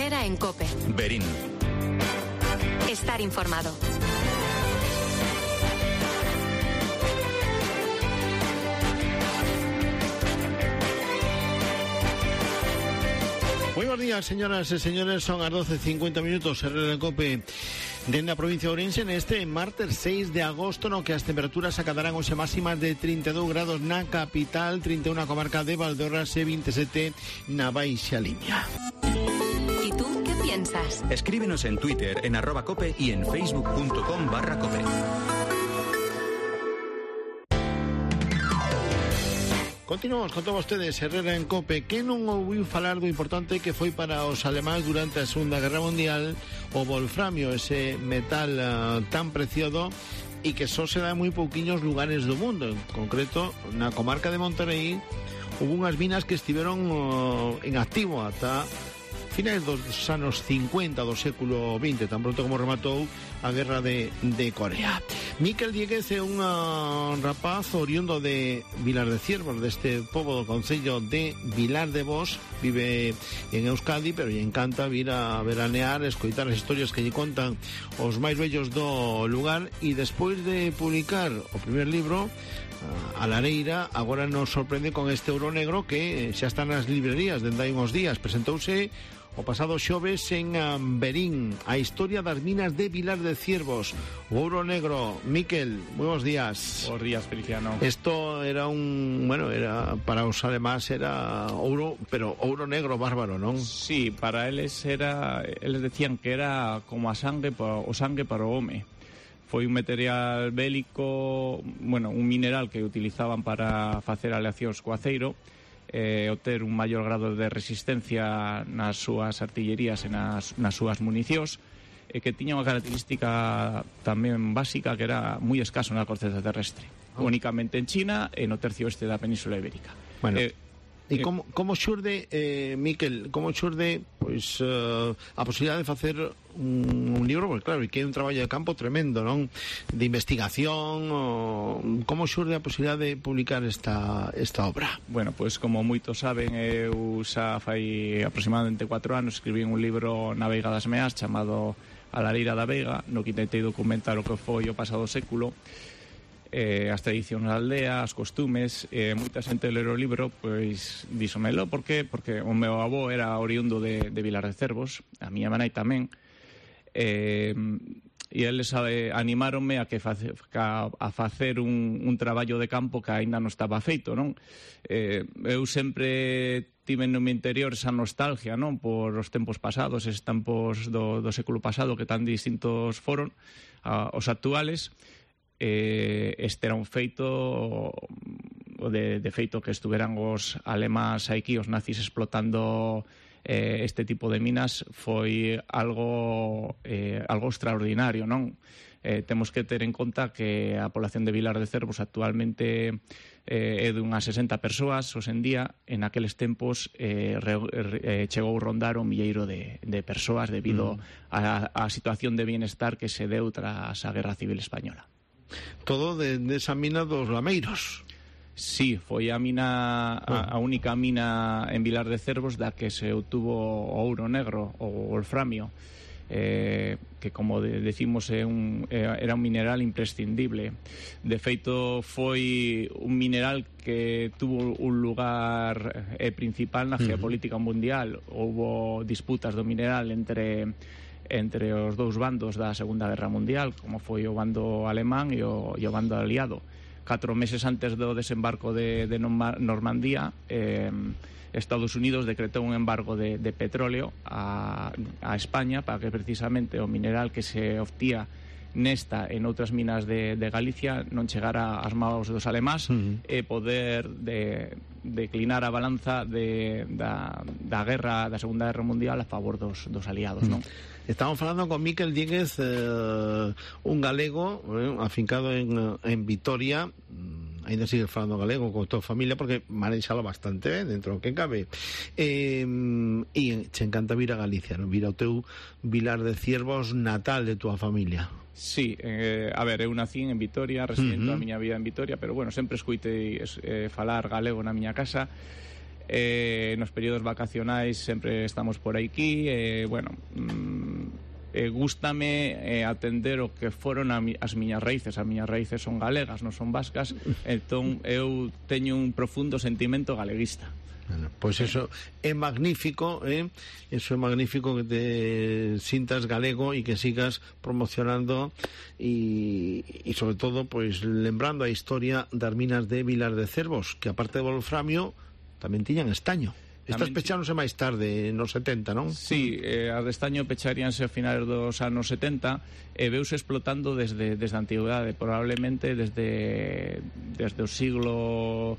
Herrera en COPE. Berín. Estar informado. Muy buenos días, señoras e señores, son as 12:50 minutos, Herrera en COPE dende a provincia de Ourense neste martes 6 de agosto, no que as temperaturas acadarán hoxe máximas de 32 grados na capital, 31 na comarca de Valdeorras e 27 na Baixa Limia. ¿Y tú qué piensas? Escríbenos en Twitter, en @cope y en facebook.com/cope. Continuamos con todos ustedes, Herrera en COPE. Que non ouviu falar do importante que foi para os alemáns durante a Segunda Guerra Mundial o wolframio, ese metal tan preciado e que só se dá en moi pouquiños lugares do mundo. En concreto, na comarca de Monterrey hubo unhas minas que estiveron en activo ata finais dos anos 50 do século XX, tan pronto como rematou a guerra de Corea. Miquel Dieguez é un rapaz oriundo de Vilar de Ciervos, deste pobo do concello de Vilar de Bos. Vive en Euskadi, pero lle encanta vir a veranear, escoitar as historias que lle contan os máis vellos do lugar, e despois de publicar o primer libro, A Lareira, agora nos sorprende con este Ouro Negro que xa está nas librerías dende hai uns días. Presentouse o pasado xoves en Berín, a historia das minas de Vilar de Ciervos, o Ouro Negro. Miquel, moi bons días. Bons días, Feliciano. Isto era era para os alemáns era ouro, pero ouro negro bárbaro, non? Sí, para eles decían que era como o sangue para o home. Foi un material bélico, un mineral que utilizaban para facer aleacións co aceiro, obter un maior grado de resistencia nas súas artillerías e nas súas municións, que tiña unha característica tamén básica, que era moi escaso na corteza terrestre, únicamente en China e no tercio oeste da Península Ibérica. Bueno, e como xurde, Miquel, como xurde a posibilidade de facer un libro? Porque claro, que é un traballo de campo tremendo, non? De investigación, como xurde a posibilidade de publicar esta obra? Bueno, como moitos saben, eu xa fai aproximadamente 4 anos escribín un libro na Veiga das Meas chamado A Lareira da Veiga, no que intentei documentar o que foi o pasado século, as tradicións da aldea, as costumes. Moita xente ler o libro dísomelo. Por qué? Porque o meu avó era oriundo de Vilar de Cervos, a miña manai tamén, e eles animáronme a facer un traballo de campo que aínda non estaba feito, non? Eu sempre tive no meu interior esa nostalgia, non? Por os tempos pasados, eses tempos do século pasado que tan distintos foron os actuales. Este era un feito de feito que estuveran os alemáns aquí, os nazis, explotando este tipo de minas, foi algo extraordinario, non? Temos que ter en conta que a población de Vilar de Cervos actualmente é de unhas 60 persoas hoxe en día. En aqueles tempos chegou a rondar 1 milleiro de persoas debido á situación de bienestar que se deu tras a Guerra Civil Española. Todo de esa mina dos Lameiros. Sí, foi a única mina en Vilar de Cervos da que se obtuvo o ouro negro, o wolframio, que, como decimos, era un mineral imprescindible. De feito, foi un mineral que tuvo un lugar principal na geopolítica mundial. Houbo disputas do mineral entre os dous bandos da Segunda Guerra Mundial, como foi o bando alemán e o bando aliado. 4 meses antes do desembarco de Normandía, Estados Unidos decretou un embargo de petróleo a España para que precisamente o mineral que se obtía nesta e noutras minas de Galicia non chegara ás mãos dos alemáns e poder declinar a balanza da guerra, da Segunda Guerra Mundial a favor dos aliados, non? Estamos falando con Miquel Dieguez, un galego afincado en Vitoria. Ainda sigue falando galego con toda a familia porque manexalo bastante ben dentro do que cabe, e che encanta vir a Galicia, non? Vir ao teu Vilar de Ciervos natal de tua familia. Sí, a ver, eu nací en Vitoria, residento a miña vida en Vitoria, pero bueno, sempre escoitei falar galego na miña casa. nos períodos vacacionais sempre estamos por aquí, gústame atender o que foron as miñas raíces. As miñas raíces son galegas, non son vascas, entón eu teño un profundo sentimento galeguista. Bueno, pois eso é magnífico, eso é magnífico, que te sintas galego e que sigas promocionando e sobre todo pois lembrando a historia das minas de Vilar de Cervos, que aparte de wolframio tamén tiñan estaño. Estas pecháronse máis tarde, nos 70, non? Sí, as de estaño pecharíanse a finales dos anos 70 e veuse explotando desde a antigüedade, probablemente desde o siglo...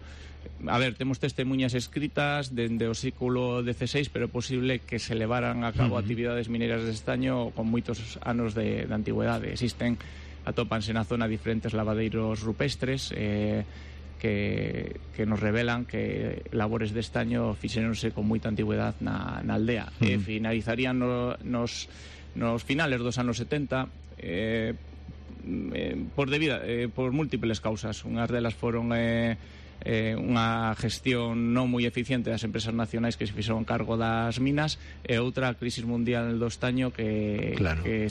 A ver, temos testemunhas escritas dende o século XVI, pero é posible que se levaran a cabo actividades mineras de estaño con moitos anos de antigüedade. Atópanse na zona diferentes lavadeiros rupestres que nos revelan que labores de estaño fixéronse con moita antigüedade na aldea. Finalizarían nos finales dos anos 70 por múltiples causas. Unhas delas foron unha gestión non moi eficiente das empresas nacionais que se fixeron cargo das minas, e outra a crisis mundial do estaño que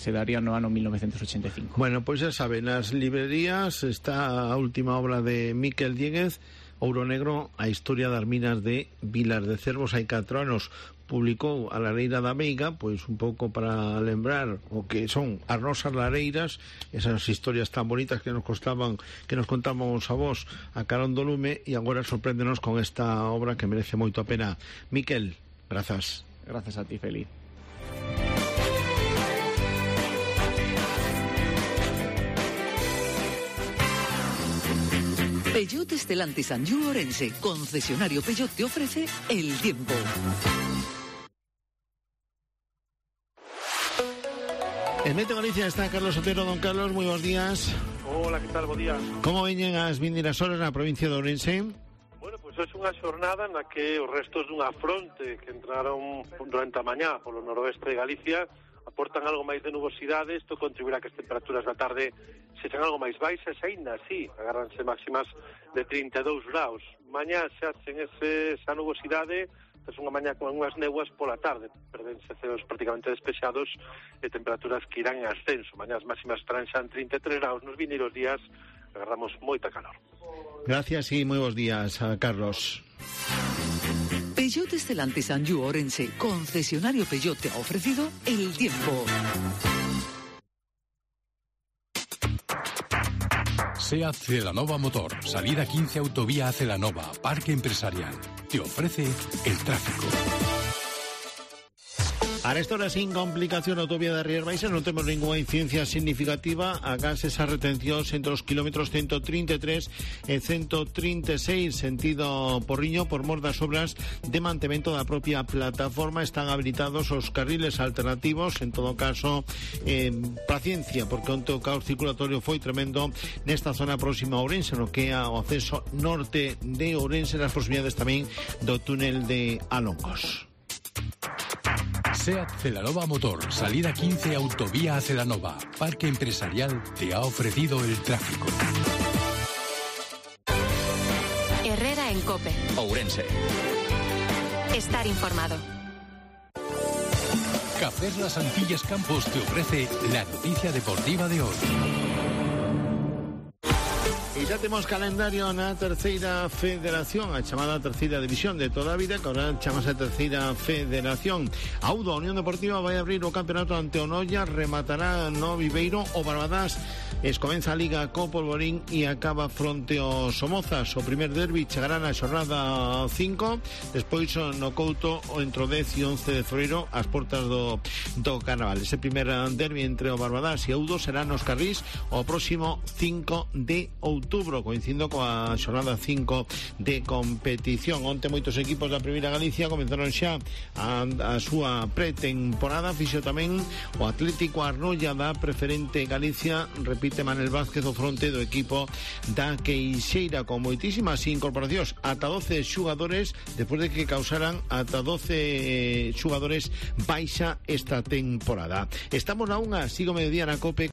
se daría no ano 1985. Bueno, pois xa saben, nas librerías está a última obra de Miquel Dieguez, Ouro Negro, a historia das minas de Vilar de Cervos. Hai 4 anos publicou a Lareira da Veiga, pois un pouco para lembrar o que son as nosas lareiras, esas historias tan bonitas que nos contábamos a vos a carón do lume, e agora sorpréndenos con esta obra que merece moito a pena. Miquel, grazas. Grazas a ti, Feli. Peugeot Stellantis Anjou Orense, concesionario Peugeot, te ofrece el tiempo. En Meteo Galicia está Carlos Otero. Don Carlos, moi bons días. Hola, que tal? Bo día. Como veñen as vindeiras horas na provincia de Ourense? Bueno, pois é unha xornada na que os restos dunha fronte que entraron durante a mañá polo noroeste de Galicia aportan algo máis de nubosidade. Isto contribuirá que as temperaturas da tarde sexan algo máis baixas, e aínda así agárranse máximas de 32 graus. Mañá xa sen esa nubosidade, é unha mañá con unhas néboas pola tarde, perdense ceos prácticamente despexados e temperaturas que irán en ascenso. Mañá as máximas estarán xa en 33 graus. Nos vindeiros días agarramos moita calor. Gracias e moi bons días, Carlos. Peugeot Stellantis Anjou Orense, concesionario Peugeot, te ha ofrecido el tiempo. SEAT Celanova Motor, salida 15 autovía a Celanova, Parque Empresarial. Te ofrece el tráfico. A esta hora, sin complicación, autovía de Rías Baixas, non temos ninguna incidencia significativa. Agás esas retencións entre os kilómetros 133 e 136 sentido Porriño por mor das obras de mantemento da propia plataforma. Están habilitados os carriles alternativos. En todo caso, paciencia, porque onte o caos circulatorio foi tremendo nesta zona próxima a Ourense, no que é o acceso norte de Ourense, nas proximidades tamén do túnel de Alongos. SEAT Celanova Motor, salida 15 autovía a Celanova, Parque Empresarial, te ha ofrecido el tráfico. Herrera en COPE. Ourense. Estar informado. Cafés Las Antillas Campos te ofrece la noticia deportiva de hoy. E xa temos calendario na terceira federación, a chamada terceira división de toda a vida, que agora chamase terceira federación. Audo, a Unión Deportiva vai abrir o campeonato ante o Noia, rematará no Viveiro o Barbadas, comeza a Liga co Polvorín e acaba fronte ao Somozas. O primer derbi chegará na xornada 5, despois no Couto entre o 10 e 11 de febreiro ás portas do Carnaval. Ese primer derbi entre o Barbadas e Audo será nos Carrís o próximo 5 de outubro, coincidindo coa xornada 5 de competición. Onte moitos equipos da Primeira Galicia comenzaron xa a súa pretemporada. Fixo tamén o Atlético Arnoia da Preferente Galicia. Repite Manel Vázquez o fronte do equipo da Queixeira, con moitísimas incorporacións, ata 12 xugadores, despois de que causaran ata 12 xugadores baixa esta temporada. Estamos na unha, sigo mediodía na COPE.